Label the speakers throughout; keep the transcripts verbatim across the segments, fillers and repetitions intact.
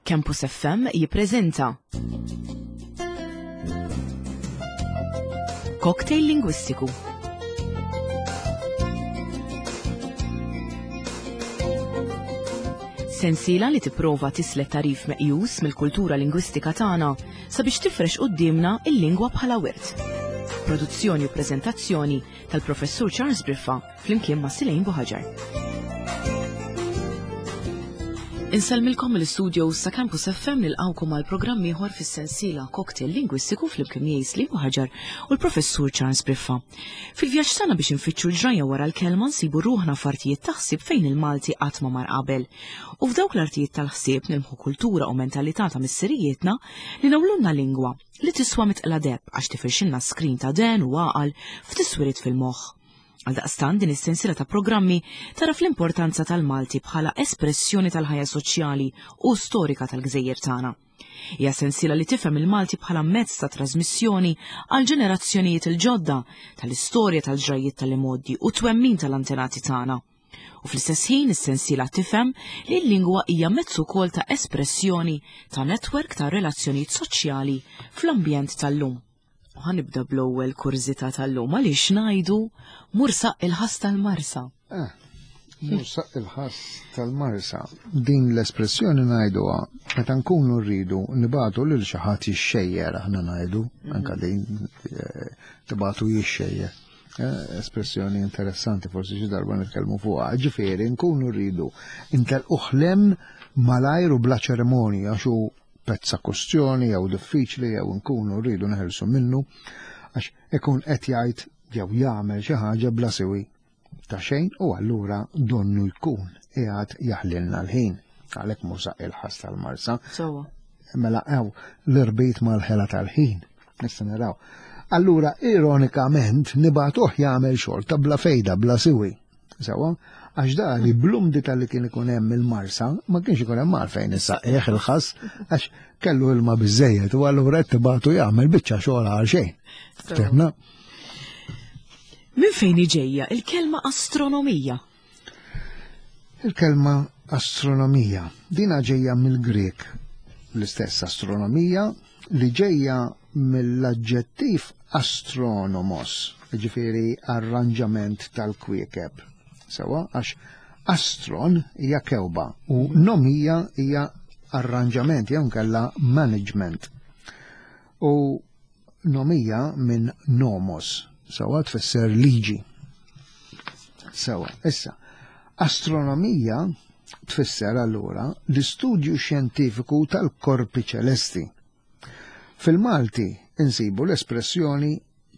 Speaker 1: Campus F M jippreżenta Cocktail Lingwistiku. Sensiela li tipprova tislet tarif meqjus mill-kultura lingwistika tagħna sabiex tifrex quddiemna il-lingwa bħala wirt. Produzzjoni u preżentazzjoni tal-Professur Charles Briffa flimkien ma' Silejn Buħaġar. Insellmilkom mill-istudio sa Campus F M nilqgħukom għal programm ieħor fis-sensiela Cocktail Lingwistiku flimkien miegħi Silejn Buħaġar u l-Professur Charles Briffa. Fil-vjaġġ tagħna biex infittxu l-ġrajja wara l-kelma nsibu ruħna f'artijiet ta' ħsieb fejn il-Malti qatt ma mar qabel. U f'dawk l-artijiet tal-ħsieb nilmħu kultura u mentalità ta' missirijietna li nawlunna lingwa li tiswa mitqla deb għax tifirxilna skrin ta' den u għaqal f'tiswirit fil-moħħ. Għaldaqstant din is-sensiela ta' programmi tara fl-importanza tal-Malti bħala espressjoni tal-ħajja soċjali u storika tal-gżejjer tagħna. Hija sensiela li tifhem il-Malti bħala mezz ta' trasmissjoni għal ġenerazzjonijiet il-ġodda tal-istorja tal-ġrajjiet tal-imgħoddi u twemmin tal-antenati tagħna. U fl-istess ħin is-sensiela tifhem li l-lingwa hija mezz ukoll ta' espressjoni ta' netwerk ta' relazzjonijiet soċjali fl-ambjent tal-lum. U ħanibda bl-ewwel kurżità tal-lum għaliex ngħidu mursaq il-ħass tal-Marsa.
Speaker 2: Eh, mursaq il-ħass tal-Marsa. Din l-espressjoni ngħiduha meta nkunu rridu nibatu lil xi ħadd jixxejjer, aħna ngħidu,
Speaker 1: Mhm.
Speaker 2: anke din, eh, tibatu jixxejjer. Eh, espressjoni interessanti, forsi xi darba nitkellmu fuqha. Ġifieri nkunu rridu intelquh lem malajr u bla ċerimonja għax hu pezza kustjoni jew diffiċli jew nkunu rridu neħelsu minnu għax ikun qed jgħid jew jagħmel xi ħaġa bla siwi ta' xejn u allura donnu jkun qiegħed jaħlilna l-ħin. Għalhekk mursaq il-ħass tal-Marsa.
Speaker 1: Sewwa.
Speaker 2: Mela hawn l-irbit mal-ħela tal-ħin. Nista' naraw. Allura ironikament nibatuh jagħmel xogħol ta' bla fejda, bla siwi. Sewwa? Għax da li blumdi tal-li kien ikun hemm il-Marsa, ma kienx ikun hemm għalfejn issa eħ il-ħass, għax kellu ilma biżejjed u allura qed tibatu jagħmel biċċa xogħol għal xejn.
Speaker 1: Sewwa.
Speaker 2: Ftemna?
Speaker 1: Minn fejn ġejja il-kelma astronomija?
Speaker 2: Il-kelma astronomija dina ġejja mill-Grek, l-istess astronomija li ġejja mill-aġġettiv astronomos, ġifieri arranġament tal-kwiekeb. Sewa, għax astron hija kewba u nomija hija arranġament jew nkella management. U nomija minn nomos, sewa tfisser liġi. Sewa, issa, astronomija tfisser allura l-istudju xjentifiku tal-korpi ċelesti. Fil-Malti insibu l-espressjoni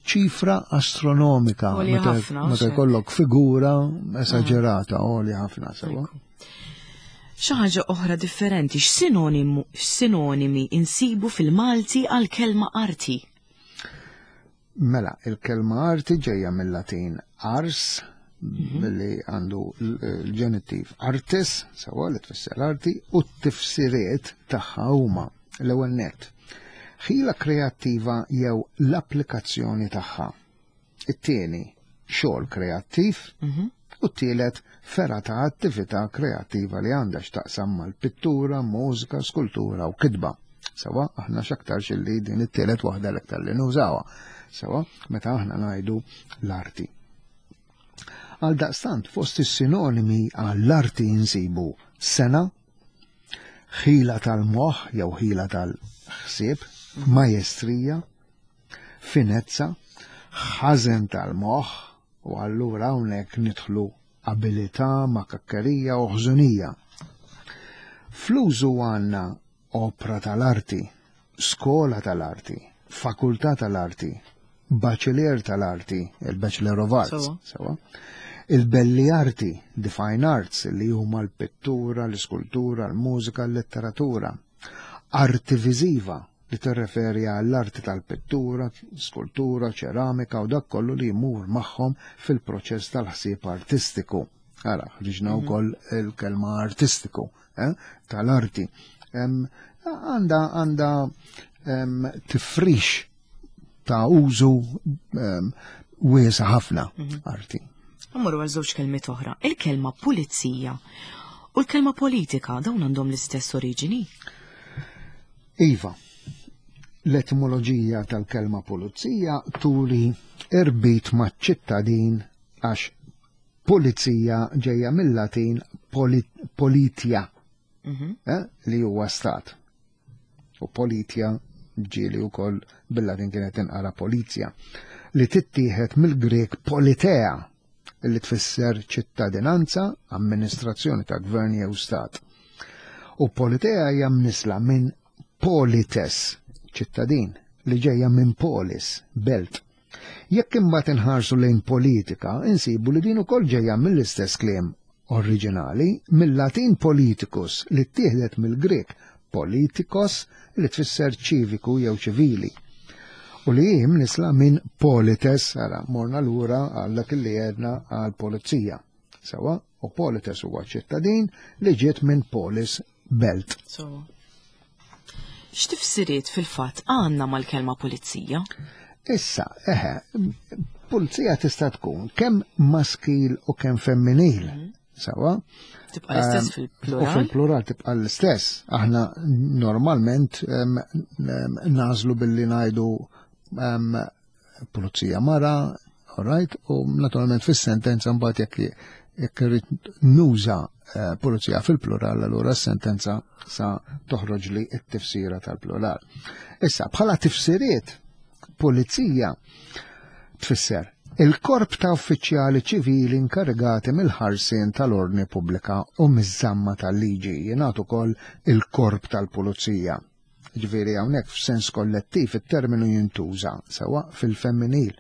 Speaker 2: ċifra astronomika,
Speaker 1: Għolja
Speaker 2: meta
Speaker 1: ħafna,
Speaker 2: meta
Speaker 1: xek.
Speaker 2: jkollok figura esaġerata, għolja ħafna, sewa.
Speaker 1: Ekku. Xi ħaġa oħra differenti, x'sinonimu, x'sinonimi insibu fil-Malti għal kelma arti?
Speaker 2: Mela, il-kelma arti ġejja mill-Latin ars,
Speaker 1: Mhm.
Speaker 2: billi għandu l-, l-ġenittiv artis, sewa li tfisser arti, u t-tifsiriet tagħha huma l-ewwel nett. Ħila kreattiva jew l-applikazzjoni tagħha. It-tieni, xogħol kreattiv,
Speaker 1: Mhm.
Speaker 2: u t-tielet, fergħa ta' attività kreattiva li għandha x'taqsam mal-pittura, mużika, skultura u kitba. Sewa, aħna x'aktarx illi din it-tielet waħda l-aktar li nużawha. Sewa, meta aħna ngħidu l-arti. Għal daqstant, fost is-sinonimi għall-arti insibu sena, ħila tal-moħħ jew ħila tal-ħsieb, majestrija, finezza, ħażen tal-moħħ, u allura hawnhekk nidħlu abilità, makakkerija u ħżunija. Fl-użu għandna opra tal-arti, skola tal-arti, fakultà tal-arti, baċelier tal-arti, il-Bachelor of Arts,
Speaker 1: Sewa.
Speaker 2: sewa. Il-belli arti, the fine arts, li huma l-pittura, l-iskultura, l-mużika, l-letteratura. Arti viżiva, li tirreferi għall-arti tal-pittura, skultura, ċeramika u dak kollu li jmur magħhom fil-proċess tal-ħsieb artistiku. Ara, ħriġna
Speaker 1: Mhm.
Speaker 2: wkoll il-kelma artistiku, eh, tal-arti. Em, għanda, għanda, em, tifrix ta' użu, em, wiesa ħafna
Speaker 1: Mhm.
Speaker 2: arti.
Speaker 1: Mmorru għal żewġ kelmiet oħra. Il-kelma pulizija u l-kelma politika dawn għandhom l-istess oriġini?
Speaker 2: Iva, l-etimoloġija tal-kelma pulizija turi irbit maċ-ċittadin għax pulizija ġejja mill-Latin politia,
Speaker 1: Mhm.
Speaker 2: eh, li huwa stat. U politia ġieli wkoll bil-Latin kienet tinqara polizja, li tittieħed mill-Grek politea, li tfisser ċittadinanza, amministrazzjoni ta' gvern jew stat. U politea hija mnisla minn polites, ċittadin, li ġejja minn polis, belt. Jekk imbagħad inħarsu lejn politika, insibu li din ukoll ġejja mill-istess kliem oriġinali, mill-Latin politicus, li ttieħdet mill-Grek politikos, li tfisser ċiviku jew ċivili. U li hi mnisla minn polites, ara, morna lura għal dak li għedna għal pulizija. Sewa, u polites huwa ċittadin li ġiet minn polis, belt.
Speaker 1: So, x'tifsiriet fil-fatt għandna mal-kelma pulizija?
Speaker 2: Issa, eħe, pulizija tista' tkun kemm maskil u kemm femminil. Sewa?
Speaker 1: Tibqa' l-istess
Speaker 2: U
Speaker 1: fil-plural?
Speaker 2: fil-plural tibqa' l-istess. Aħna normalment em, em, nażlu billi ngħidu em, pulizija mara, all right, u naturalment fis-sentenza mbagħad jekk jekk irrid nuża eh, pulizija fil-plural, allura s-sentenza sa toħroġ li t-tifsira tal-plural. Issa, bħala tifsiriet, pulizija tfisser il-korp ta' uffiċjali ċivili inkarigati mill-ħarsien tal-ordni pubblika u miż-żamma tal-liġi, jingħad ukoll il-korp tal-pulizija. Ġifieri hawnhekk f'sens kollettiv it-terminu jintuża sewa fil-femminil.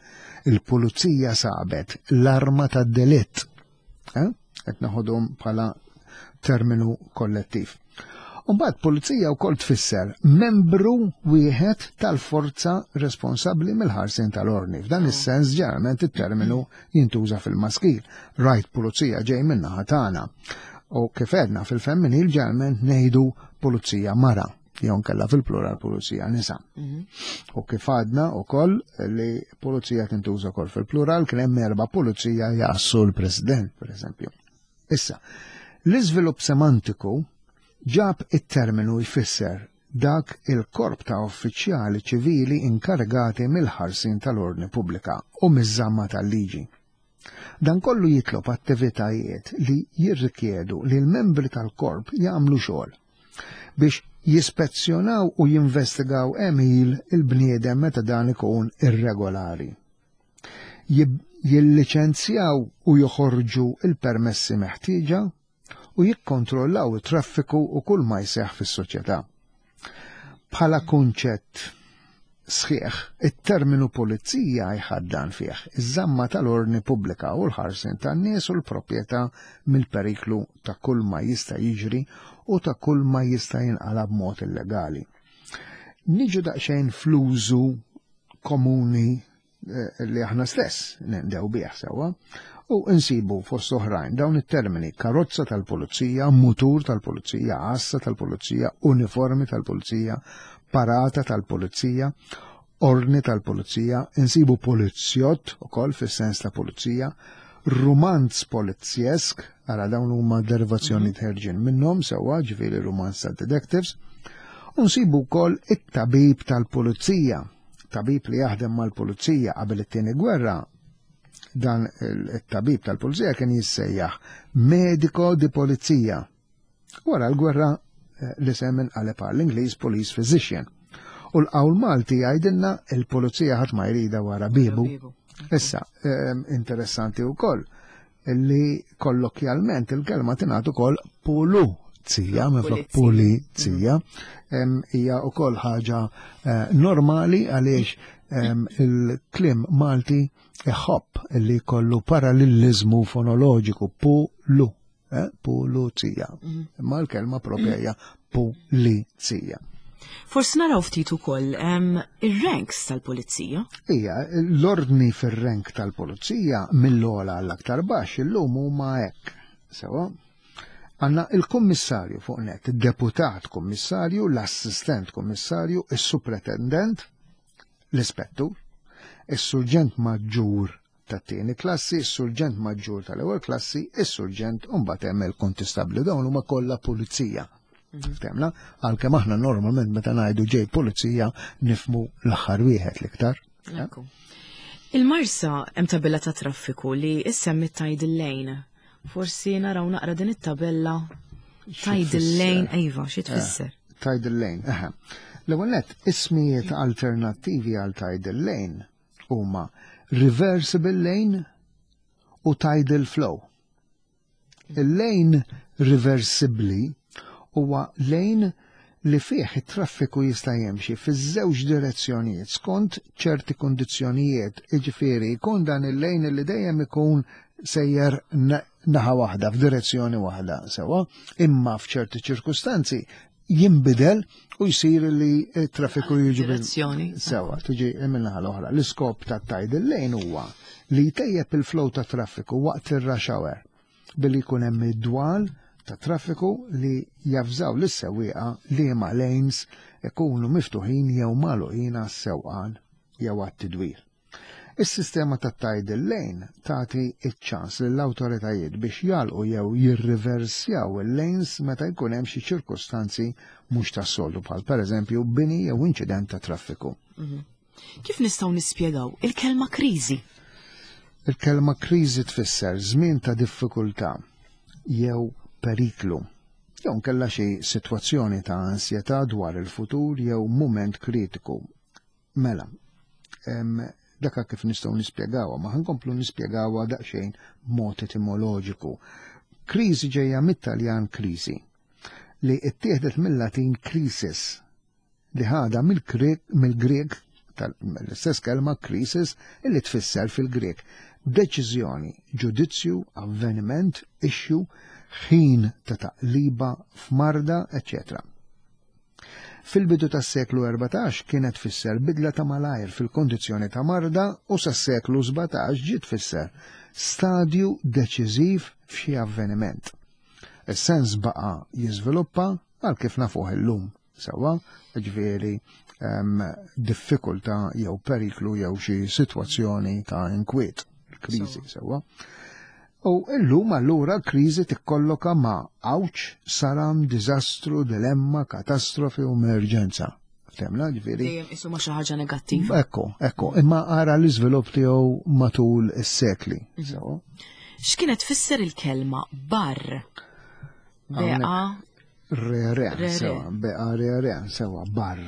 Speaker 2: Il-pulizija sabet l-arma tad-delitt. Eh? Qed naħodhom bħala terminu kollettiv. Umbagħad pulizija wkoll tfisser membru wieħed tal-forza responsabbli mill-ħarsien tal-ordni. F'dan is-sens ġeneralment it-terminu jintuża fil-maskil. Rajt pulizija ġej min-naħa tagħna. U kif għedna fil-femminil ġeneralment ngħidu pulizija mara, jew nkella fil-plural pulizija nisa. U kif għadna wkoll li pulizija tintuża wkoll fil-plural, kien hemm erba' pulizija jgħassu l-President, per eżempju. Issa, l-iżvilupp semantiku ġab it-terminu jfisser dak il-korp ta' uffiċjali ċivili inkarigati mill-ħarsin tal-ordni pubblika u miż-żamma tal-liġi. Dan kollu jitlob attivitajiet li jirrikjedu li l-membri tal-korp jagħmlu xogħol biex jispezzjonaw u jinvestigaw għemil il-bniedem meta dan ikun irregolari. Jib- Jilliċenzjaw u joħorġu il-permessi meħtieġa u jikkontrollaw it-traffiku u kull ma jseħħ fis-soċjetà. Bħala kunċett sħiħ, it-terminu pulizija jħaddan fih iż-żamma tal-ordni pubblika u l-ħarsin tan-nies u l-proprjetà mill-periklu ta' kull ma jista' jiġri u ta' kull ma jista' jinqala b'mod illegali. Niġu daqsxejn fl-użu komuni eh, li aħna stess nindew bih sewwa u insibu fost oħrajn dawn it-termini: karozza tal-pulizija, mutur tal-pulizija, għassa tal-pulizija, uniformi tal-pulizija, parata tal-pulizija, ordni tal-pulizija, insibu polizzjott ukoll fis-sens ta' pulizija, rumanz polizjesk, ara dawn huma derivazzjoni ħerġin minnhom sewwa, ġifieri rumanz ta' detectives, u nsibu wkoll it-tabib tal-pulizija, tabib li jaħdem mal-pulizija. Qabel it-tieni gwerra dan il-tabib tal-pulizija kien jissejjaħ medico di polizia. Wara l-gwerra eh, l-isem inqaleb għall-Ingliż police physician. U l-qawl Malti jgħidilna il-pulizija ħadd ma jrida wara bibu. Issa, ehm, interessanti wkoll li kollokjalment il-kelma tingħad ukoll puluzija minflok pulizija, Em, hija wkoll ħaġa eh, normali għaliex em, il-kliem Malti iħobb li kollu parallelizmu fonoloġiku pulu, eh, puluzija. Imma l-kelma propja hija pulizija.
Speaker 1: Forsi naraw ftit ukoll em, ir-ranks tal-pulizija.
Speaker 2: Ija, l-ordni fir-rank tal-pulizija mill-ogħla għall-aktar baxx illum huma hekk. Sewa, għandna il-kummissarju fuq net, il-deputat kummissarju, l-assistent kummissarju, il-supretendent, l-ispettur, il-surġent maġġur tat-tieni klassi, il-surġent maġġur tal-ewwel klassi, il-surġent, u mbagħad hemm il-kontistabbli. Dawn huma kollha pulizija. Ftemna, għalkemm aħna normalment meta ngħidu ġej pulizija nifmu l-aħħar wieħed l-iktar.
Speaker 1: Ekku. Il-Marsa hemm tabella ta' traffiku li issemmi Tidal Lane. Forsi naraw naqra din it-tabella Tidal Lane, iva, xi tfisser?
Speaker 2: Tidal Lane, eħe. L-ewwel nett, ismijiet alternattivi għal Tidal Lane huma Reversible Lane u Tidal Flow. Il-lane reversibli huwa lane li fih it-traffiku jista' jimxi fiż-żewġ direzzjonijiet skont ċerti kondizzjonijiet, jiġifieri jkun dan il-lane li dejjem ikun sejjer naħa waħda f'direzzjoni waħda sewwa, imma f'ċerti ċirkustanzi jinbidel u jsir li t-traffiku jiġi
Speaker 1: Direzzjoni.
Speaker 2: Sewwa, tiġi min-naħa l-oħra. L-iskop ta' tidal lane huwa li jtejjeb il-flow ta' traffiku waqt ir-rush hour billi jkun hemm id-dwal ta' traffiku li javżaw lis-sewwieqa li ma lanes ikunu miftuħin jew magħluqin għas-sewqan jew għat-tidwir. Is-sistema ta' tidal lane tagħti iċ-ċans lill-awtoritajiet biex jagħlqu jew jirriversjaw il-lanes meta jkun hemm xi ċirkustanzi mhux tas-soltu bħal pereżempju bini jew inċident ta' traffiku.
Speaker 1: Kif nistgħu nispjegaw il-kelma kriżi?
Speaker 2: Il-kelma kriżi tfisser żmien ta' diffikultà jew periklu. Jew nkella xi sitwazzjoni ta' ansjetà dwar il-futur jew mument kritiku. Mela, em, daka kif nistgħu nispjegawha, ma ħankomplu nispjegawha daqsxejn b'mod etimoloġiku. Kriżi ġejja mit-Taljan crisi, li ittieħdet mill-Latin crisis, li ħada mill-Grek tal-istess kelma crisis illi tfisser fil-Grek deċiżjoni, ġudizzju, avveniment, issue, ħin ta' taqliba f'marda, eċċetera. Fil-bidu tas-seklu erbatax kienet tfisser bidla ta' malajr fil-kondizzjoni ta' marda u sas-seklu sbatax ġiet tfisser stadju deċiżiv f'xi avveniment. Is-sens baqa' jiżviluppa għal kif nafuh illum, sewwa, ġifieri diffikultà jew periklu jew xi sitwazzjoni ta' inkwiet, kriżi, sewwa. U illum allura kriżi tikkolloka ma' għawġ, saram, diżastru, dilemma, katastrofi u emerġenza. Ftemna, ġifieri?
Speaker 1: Dejjem isu ma' xi ħaġa negattiva.
Speaker 2: Ekku, ekku, imma ara l-iżvilupp tiegħu matul is-sekli. Sewwa.
Speaker 1: X'kienet tfisser il-kelma barr? Beqa
Speaker 2: Re, re,
Speaker 1: Re, re.
Speaker 2: sewwa, beqa re, re, sewwa, barr.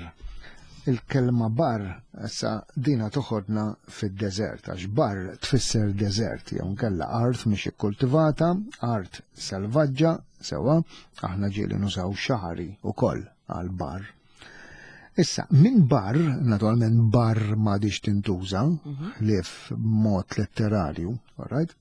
Speaker 2: Il-kelma barr, issa dina toħodna fid-deżert, għax barr tfisser deżert, jew nkella art mhix ikkultivata, art selvaġġa, sewwa, aħna ġieli nużaw xaħari ukoll għal barr. Issa, minn barr, naturalment barr m'għadix tintuża, li f'mod letterarju, all right?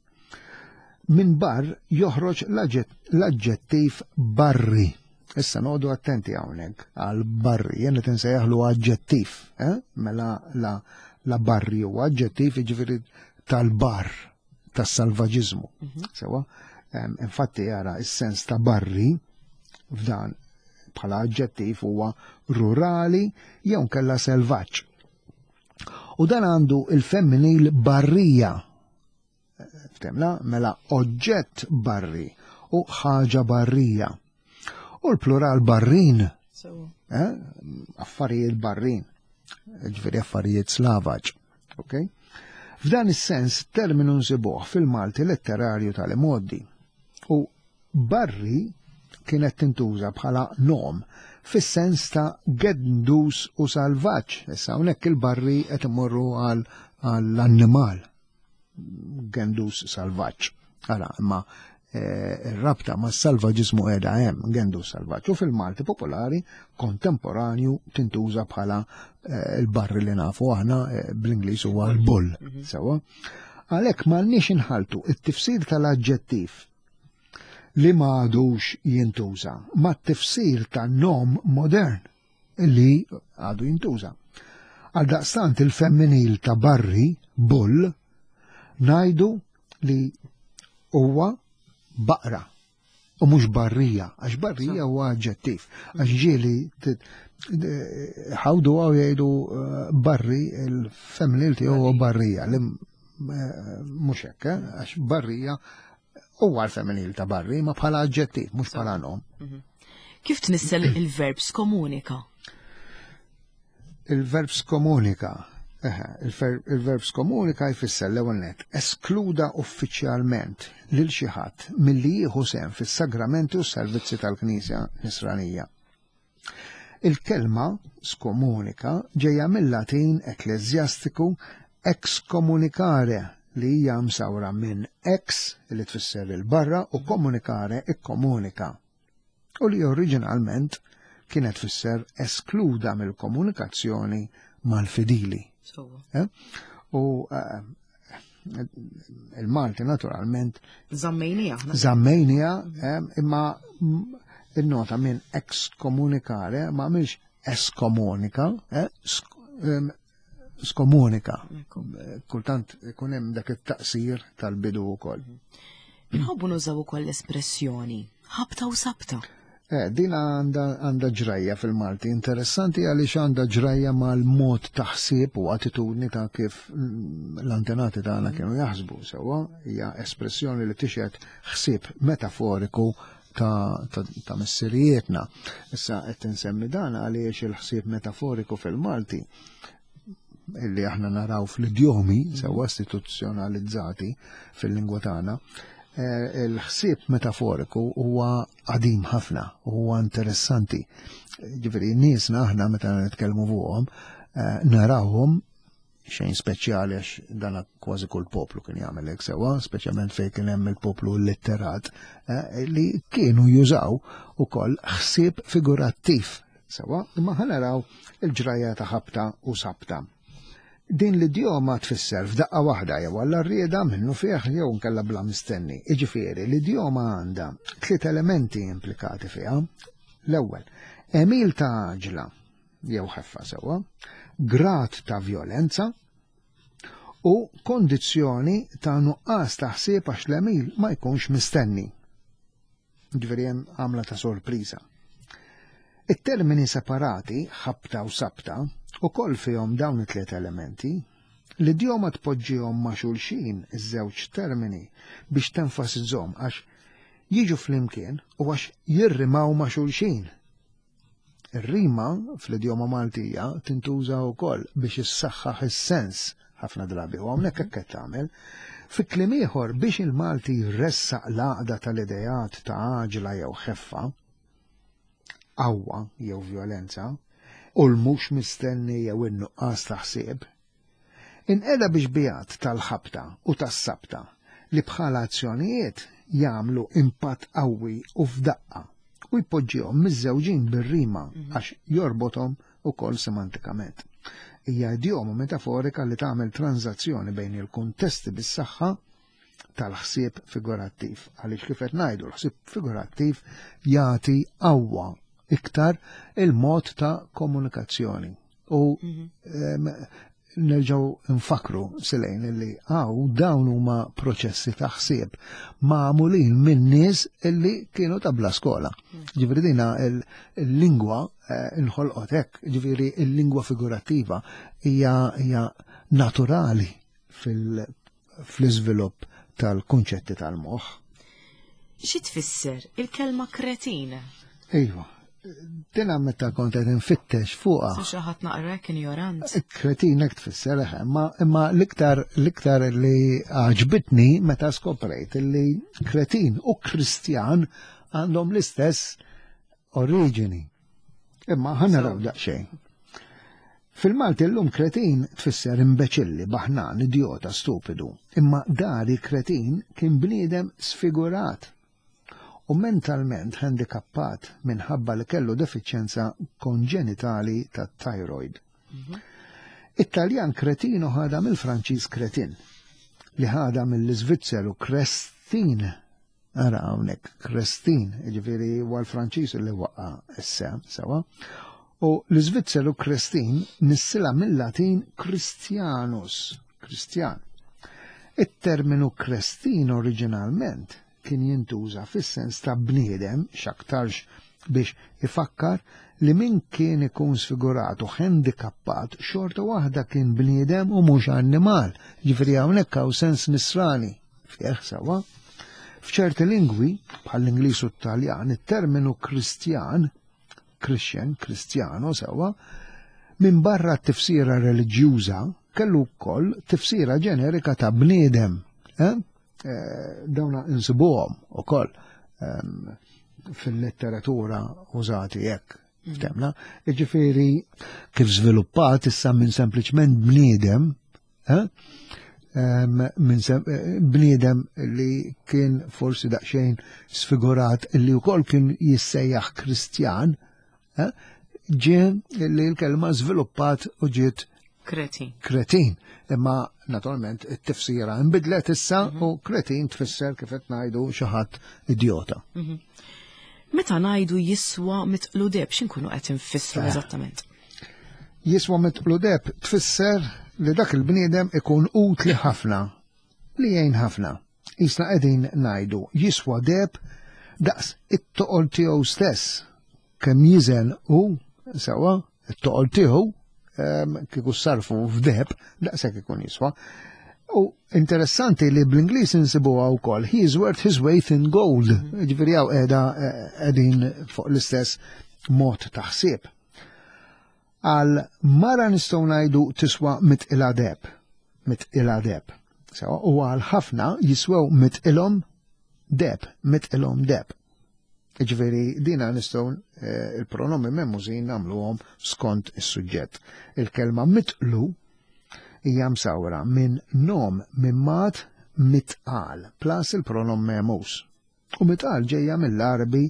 Speaker 2: Minn barr joħroġ l-aġġettiv barri. Issa noqogħdu attenti hawnhekk għal barri, jien qed insejjaħlu aġġettiv, eh? Mela la, la barri huwa aġġettiv jiġifieri tal-bar, tas-salvaġiżmu. Sewwa? Em, Infatti jara is-sens ta' barri f'dan bħala aġġettiv huwa rurali jew nkella selvaġġ. U dan għandu il-femminil barrija. Ftemna, mela oġġett barri u ħaġa barrija. U l-plural barrin, eh? Affarijiet barrin, ġifieri affarijiet slavaġ. Okay? F'dan is-sens terminu nsibuh fil-Malti letterarju tal-imgħoddi. U barri kienet tintuża bħala nom fis-sens ta' gendus u salvaġġ. Issa hawnhekk il-barri qed imorru għall-annimal gendus salvaġġ. Ara, imma eh, ir-rabta ma' salvaġiżmu qiegħda hemm, gendus salvaġġ. U fil-Malti popolari kontemporanju tintuża bħala eh, il-barri li nafu aħna eh, bl-Ingliż huwa l-bull. Sewwa. Għalhekk m'għandniex inħaltu it-tifsir tal-aġġettiv li ma għadux jintuża ma t-tifsir ta' nom modern li għadu jintuża. Għal daqstant il-femminil ta' barri, bull, ngħidu li huwa baqra u mhux barrija, għax barrija huwa aġġettiv, għax ġieli ħawdu għaw jgħidu eh, barri il-femminil tiegħu huwa barrija, li eh, mhux hekk, eh, għax barrija huwa l-femminil ta' barri, ma bħala aġġettiv, mhux bħala nom.
Speaker 1: Kif tnissel il-verb skomunika?
Speaker 2: Il-verb skomunika. Il-verb skomunika jfisser l-ewwel nett eskluda uffiċjalment lil xi ħadd milli jieħu sehem fis-sagramenti u s-servizzi tal-Knisja Nisranija. Il-kelma skomunika ġejja mill-Latin ekkleżjastiku excommunicare, li hija msawra minn ex, li tfisser il-barra, u communicare, ikkomunika, u li oriġinalment kienet tfisser eskluda mill-komunikazzjoni mal-fidili. Eh? U eh, il-Malti naturalment
Speaker 1: Żammejnija.
Speaker 2: Żammejnija, eh, imma il-nota minn excommunicare ma mhix eskomunika, skomunika. Kultant ikun hemm dak it-taqsir tal-bidu wkoll.
Speaker 1: Inħobbu nużaw ukoll l-espressjoni ħabta u sabta.
Speaker 2: Eh, din għandha ġrajja fil-Malti interessanti għaliex għandha ġrajja mal-mod ta' ħsieb u attitudni ta' kif l-antenati tagħna kienu jaħsbu sewwa. Hija espressjoni li tixhed ħsieb metaforiku ta', ta, ta' missirijietna. Issa qed insemmi dan għaliex il-ħsieb metaforiku fil-Malti illi aħna naraw fl-idjomi sewwa istituzzjonalizzati fil-lingwa tagħna, il-ħsieb metaforiku huwa qadim ħafna, huwa interessanti. Ġifieri niesna aħna meta nitkellmu fuqhom narawhom xejn speċjali għax dan kważi kull poplu kien jagħmel hekk sewwa, speċjalment fejn kien hemm il-poplu litterat, li kienu jużaw ukoll ħsieb figurattiv sewwa, imma ħa naraw il-ġrajja ta' ħabta u sabta. Din l-idjoma tfisser f'daqqa waħda jew għall-arrieda minnu fih jew nkella bla mistenni. Iġifieri l-idjoma għandha tliet elementi implikati fiha. L-ewwel, għemil ta' għaġla jew ħeffa sewwa, grad ta' vjolenza u kondizzjoni ta' nuqqas ta' ħsieb għax l-għemil ma jkunx mistenni. Ġifieri hemm għamla ta' sorpriża. It-termini separati, ħabta u sabta, u koll fihom dawn it-tliet elementi. L-idjoma tpoġġihom ma' xulxin iż-żewġ termini biex tenfasizzhom għax jiġu flimkien u għax jirrimaw ma' xulxin. Ir-rima fl-idjoma Maltija tintuża wkoll biex issaħħaħ is-sens ħafna drabi, u hawnhekk hekk qed tagħmel. Fi kliem ieħor, biex il-Malti jressaq l-għaqda tal-idejat ta' għaġla jew ħeffa, qawwa jew vjolenza, u l-mhux mistenni jew in-nuqqas ta' ħsieb, inqeda biex bijat tal-ħabta u tas-sabta li bħala azzjonijiet jagħmlu impatt qawwi u f'daqqa u jpoġġihom miż-żewġin bir-rima għax jorbothom ukoll semantikament. Hija idjoma metaforika li tagħmel transazzjoni bejn il-kuntesti bis-saħħa tal-ħsieb figurattiv, għaliex kif qed ngħidu l-ħsieb figurattiv jagħti qawwa iktar il-mod ta' komunikazzjoni. U nerġgħu nfakru silejn illi għaw dawn huma proċessi ta' ħsieb magħmulin minn nies illi kienu ta' bla skola. Ġifieri dina il-lingwa inħolqot hekk, ġifieri il-lingwa figurattiva hija hija naturali fl-iżvilupp tal-kunċetti tal-moħħ.
Speaker 1: Xi tfisser il-kelma kretin?
Speaker 2: Iva. Dina meta kont qed infittex fuqha.
Speaker 1: Su xi ħadd naqra injorant.
Speaker 2: Kretin hekk tfisser, imma imma l-iktar l-iktar li għaġbitni meta skoprejt li kretin u Kristjan għandhom l-istess oriġini. Imma ħa naraw daqsxejn. Fil-Malti llum kretin tfisser imbeċilli, baħnan, idjota, stupidu. Imma dari kretin kien bniedem sfigurat u mentalment handikappat minħabba li kellu defiċjenza konġenitali tat-thyroid. It-Taljan kretino ħada mill-Franċiż kretin, li ħada mill-Iżvizzeru Krestin. Ara hawnhekk Krestin, jiġifieri huwa l-Franċiż li waqqa' issa sewa. U l-Iżvizzeru Krestin nissila mill-Latin Christianus, Kristjan. It-terminu Krestin oriġinalment kien jintuża fis-sens ta' bniedem x'aktarx biex ifakkar li min kien ikun sfigurat u handikappat xorta waħda kien bniedem u mhux annimal. Ġifieri hawnhekk hawn sens nisrani fih sewwa. F'ċerti lingwi, bħall-Ingliż u t-Taljan, it-terminu Kristjan, Christian, Kristjano sewwa, minn barra t-tifsira reliġjuża kellu wkoll tifsira ġenerika ta' bniedem. Eh? Eh, dawna insibuhom ukoll ehm, fil-letteratura użati hekk. Ftemna, ġifieri kif żviluppat issa minn sempliċement bniedem, eh? Em, minn sem- eh, bniedem li kien forsi daqsxejn sfigurat li wkoll kien jissejjaħ Kristjan, eh? Ġie li l-kelma żviluppat u ġiet
Speaker 1: Kretin.
Speaker 2: Kretin. Imma naturalment it-tifsira nbidlet issa u kretin tfisser, kif qed ngħidu, xi ħadd idjota.
Speaker 1: Meta ngħidu jiswa mitqlu deheb, x'inkunu qed infissru eżattament?
Speaker 2: Jiswa mitqlu deheb tfisser li dak il-bniedem ikun utli ħafna, li jgħin ħafna. Isna qegħdin ngħidu jiswa deheb daqs it-toqol tiegħu stess. Kemm jiżen u sewwa it-toqol tiegħu em, kieku sarfu f'deheb daqshekk ikun jiswa. U interessanti li bl-Ingliż insibuha wkoll, "He is worth his weight in gold." Ġifieri hawn qiegħda qegħdin fuq l-istess mod ta' ħsieb. Għal mara nistgħu ngħidu tiswa mitqila deheb, mitqila deheb. Sewwa, u għal ħafna jiswew mitqilhom deheb, mitqilhom deheb. Ġifieri dina nistgħu eh, il-pronomi memmużin nagħmluhom skont is-suġġett. Il-kelma mitqlu hija msawra minn nom mimmat mitqal plus il-pronom memus. U mitqal ġejja mill-Arabi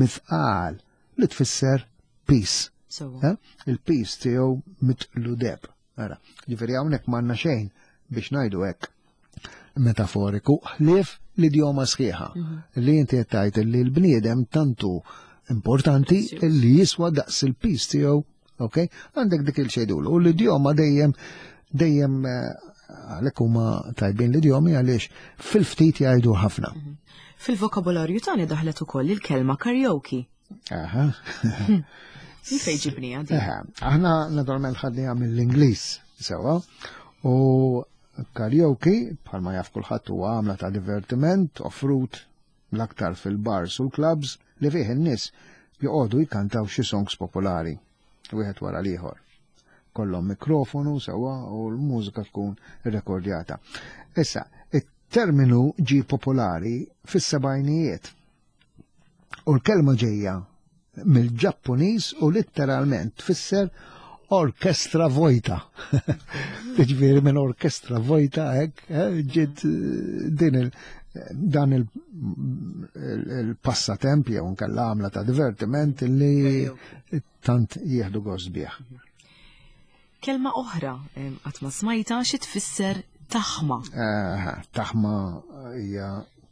Speaker 2: mithqal li tfisser piż.
Speaker 1: Sewwa.
Speaker 2: Eh? Il-piż tiegħu mitqlu deheb. Ara, ġifieri hawnhekk m'għandna xejn biex ngħidu hekk metaforiku, ħlief l-idjoma sħiħa li inti qed tgħid li l-bniedem tantu importanti li jiswa daqs il-piż tiegħu, ok? Għandek dik il-xejdulu. U l-idjoma dejjem dejjem eh, għalhekk huma tajbin l-idjomi, għaliex fil-ftit jgħidu ħafna.
Speaker 1: Fil-vokabolarju tagħna daħlet ukoll il-kelma karaoke.
Speaker 2: Aha.
Speaker 1: Min fejn ġibniha din?
Speaker 2: Eħe, aħna naturalment ħadniha mill-Ingliż, sewwa, u karaoke, bħalma jaf kulħadd, huwa għamla ta' divertiment offrut l-aktar fil-bars u l-clubs li fih in-nies joqogħdu jkantaw xi songs popolari, wieħed wara l-ieħor. Kollhom mikrofonu, sewwa, u l-mużika tkun irrekordjata. Issa, it-terminu ġi popolari fis-sebgħinijiet u l-kelma ġejja mill-Ġappuniż u litteralment tfisser orkestra vojta. Ġifieri minn orkestra vojta hekk eh, ġiet eh, din il dan il- il- il-passatemp jew nkella għamla ta' divertiment li tant jieħdu gost bih.
Speaker 1: Kelma oħra em, qatt ma smajta, xi tfisser taħma?
Speaker 2: Eh, Taħma hija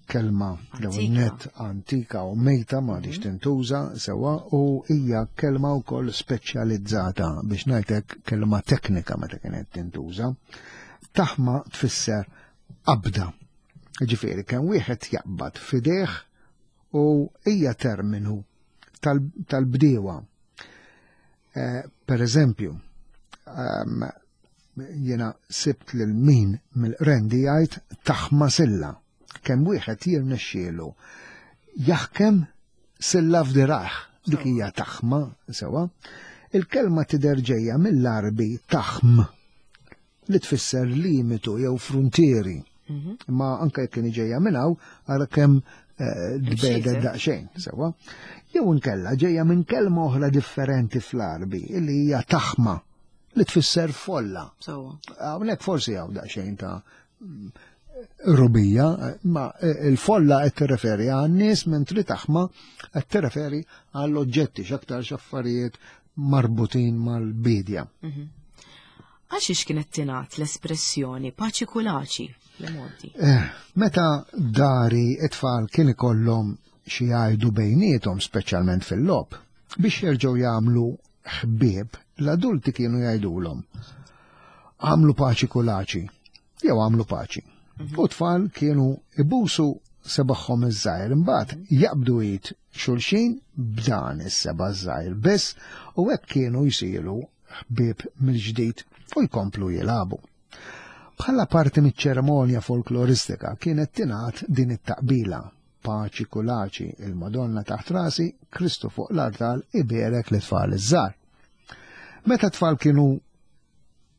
Speaker 2: kelma l
Speaker 1: Antika.
Speaker 2: Net antika u mejta, ma diċ tintuża sewwa, u hija kelma wkoll speċjalizzata, biex ngħidlek kelma teknika meta kienet tintuża. Taħma tfisser qabda. Ġifieri kemm wieħed jaqbad f'idejh u hija terminu tal- tal-bdiewa. Eh, per eżempju, um, jena sibt lil min mill-Qrendi jgħid taħma silla. Kemm wieħed jirnexxielu jaħkem silla f'dirajh, dik hija taħma sewwa. Il-kelma tidher ġejja mill-Arbi taħm li tfisser limitu jew fruntieri. Imma anke jekk kien ġejja minn hawn, ara kemm eh, tbegħdet
Speaker 1: Imxiet,
Speaker 2: daqsxejn, sewwa. Jew inkella ġejja minn kelma oħra differenti fl-Arbi li hija taħma li tfisser folla.
Speaker 1: Sewwa.
Speaker 2: Hawnhekk forsi hawn daqsxejn ta' rubija, ma il-folla qed tirreferi għan-nies, mentri taħma qed tirreferi għall-oġġetti, x'aktar x'affarijiet marbutin mal-bidja.
Speaker 1: Għax kienet tingħad l-espressjoni paċi kulaċi l-modi?
Speaker 2: Eh, meta dari it-tfal kien ikollhom xi jgħidu bejniethom, speċjalment fil-logħob, biex jerġgħu jagħmlu ħbieb, l-adulti kienu jgħidulhom "Għamlu paċi kulaċi" jew "Għamlu paċi". U tfal kienu ibusu sebagħhom iż-żgħir, imbagħad jaqbdu id xulxin b'dan is-seba' żgħir biss u hekk kienu jsiru ħbieb mill-ġdid u jkomplu jilagħbu. Bħala parti miċ-ċerimonja folkloristika kienet tingħad din it-taqbila. Paċi kulaċi, il-Madonna taħt rasi, Kristu fuq l-artal iberek l-tfal iż-żgħar. Meta tfal kienu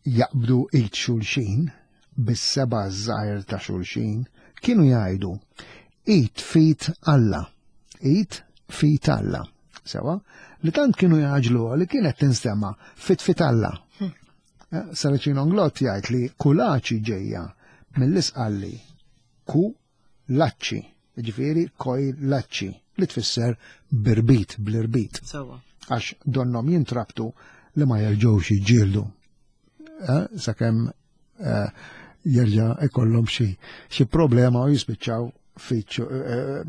Speaker 2: jaqbdu id xulxin, bis-seba' żgħir ta' xulxin, kienu jgħidu id f'id Alla, id f'id Alla. Sewa, li tant kienu jgħaġlu li kienet tinstema fit fit Alla. Hm. Eh, Saracino Nglott jgħid li kulaċi ġejja mill-isqalli ku laċċi, ġifieri koj laċċi, li tfisser birbit, bl-irbit. Għax donnom jintrabtu li ma jerġgħux jiġġieldu. Eh, sakemm eh, jerġa' ikollhom xi xi problema u jispiċċaw fiċ eh,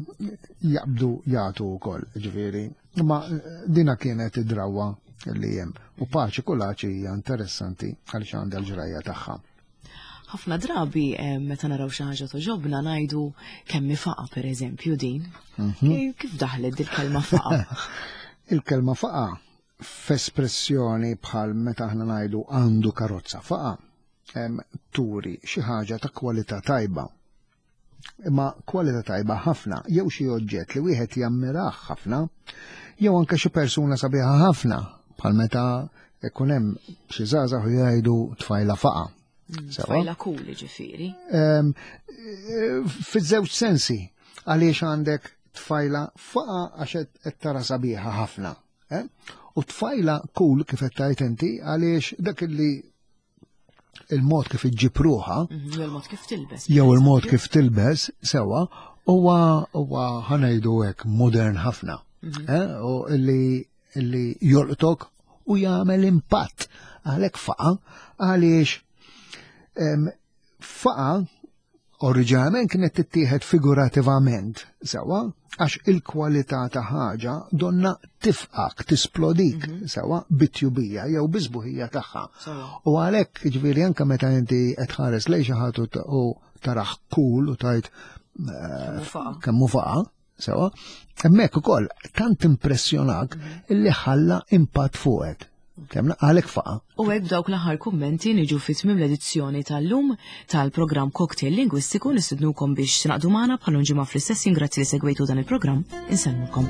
Speaker 2: jaqbdu jagħtu wkoll, ġifieri. Ma dina kienet id-drawa li hemm. U paċi kulaċi hija interessanti għaliex għandha l-ġrajja tagħha.
Speaker 1: Ħafna drabi meta naraw xi ħaġa toġobna ngħidu kemm faqa pereżempju din. Mhm. Kif daħlet dil-kelma faqa?
Speaker 2: Il-kelma faqa f'espressjoni bħal meta aħna ngħidu għandu karozza faqa, turi xi ħaġa ta' kwalità tajba. Imma kwalità tajba ħafna, jew xi oġġett li wieħed jammirah ħafna, jew anke xi persuna sabiħa ħafna, bħal meta ikun hemm xi żgħażagħ u jgħidu tfajla faqa.
Speaker 1: Mm, tfajla cool ġifieri.
Speaker 2: Fiż-żewġ sensi, għaliex għandek tfajla faqa għax qed tara sabiħa ħafna. Eh? U tfajla cool kif qed tgħid inti għaliex dak li il-mod kif iġġib ruħha,
Speaker 1: mhm, jew il-mod kif tilbes.
Speaker 2: Jew il-mod kif tilbes, sewa, huwa huwa ħa ngħidu hekk modern ħafna. Mhm. Eh? U illi illi jolqtok u jagħmel impatt għalhekk faqa għaliex faqa oriġinalment kienet tittieħed figurativament, sewa, għax il-kwalità ta' ħaġa donna tifqak, tisplodik, mm -hmm. sewa, bit-tjubija jew bisbuħija tagħha. U għalhekk ġifieri anke meta inti qed tħares lejn xi ħadd u taraħ cool u tajt eh, kemm hu faqa, sewa, hemmhekk ukoll tant impressjonak mhm. illi ħalla impatt fuqek. Kemm għalek faqa.
Speaker 1: U hekk dawk l-aħħar kummenti niġu fi tmiem l-edizzjoni tal-lum tal-programm Cocktail Lingwistiku. Nistednukom biex tingħaqdu magħna bħal ġimgħa fl-istess. Grazzi li segwejtu dan il-programm. Insellmulkom.